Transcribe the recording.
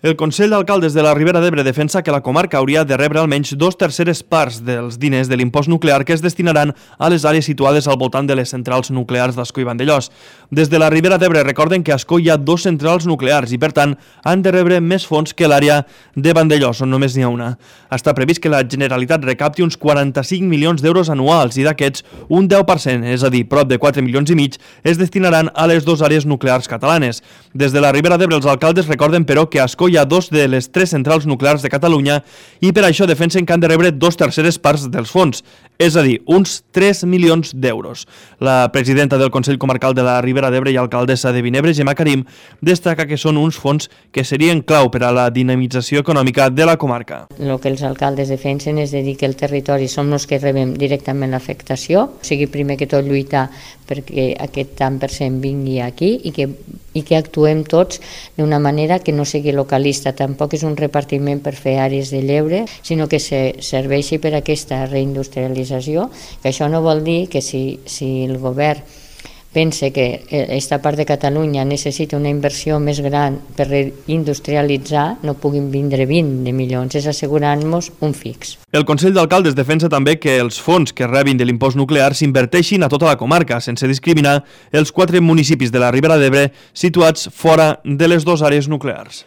El Consell d'Alcaldes de la Ribera d'Ebre defensa que la comarca hauria de rebre almenys 2/3 parts dels diners de l'impost nuclear que es destinaran a les àrees situades al voltant de les centrals nuclears d'Ascó i Vandellòs. Des de la Ribera d'Ebre recorden que a Ascó hi ha 2 centrals nuclears i, per tant, han de rebre més fons que l'àrea de Vandellòs, on només n'hi ha una. Està previst que la Generalitat recapti uns 45 milions d'euros anuals i d'aquests un 10%, és a dir, prop de 4 milions i mig, es destinaran a les 2 àrees nuclears catalanes. Des de la Ribera d'Ebre els alcaldes recorden, però, que a Ascó hi ha 2 de les 3 centrals nuclears de Catalunya i per això defensen que han de rebre 2/3 parts dels fons, és a dir, uns 3 milions d'euros. La presidenta del Consell Comarcal de la Ribera d'Ebre i alcaldessa de Vinebre, Gemma Karim, destaca que són uns fons que serien clau per a la dinamització econòmica de la comarca. El que els alcaldes defensen és de dir que el territori som els que rebem directament l'afectació, o sigui, primer que tot lluitar perquè aquest tant per cent vingui aquí i que actuem tots d'una manera que no sigui localista, tampoc és un repartiment per fer àrees de lleure, sinó que serveixi per a aquesta reindustrialització, que això no vol dir que si el govern pensa que aquesta part de Catalunya necessita una inversió més gran per reindustrialitzar, no puguin vindre 20 milions, és assegurant-nos un fix. El Consell d'Alcaldes defensa també que els fons que rebin de l'impost nuclear s'inverteixin a tota la comarca, sense discriminar els 4 municipis de la Ribera d'Ebre situats fora de les 2 àrees nuclears.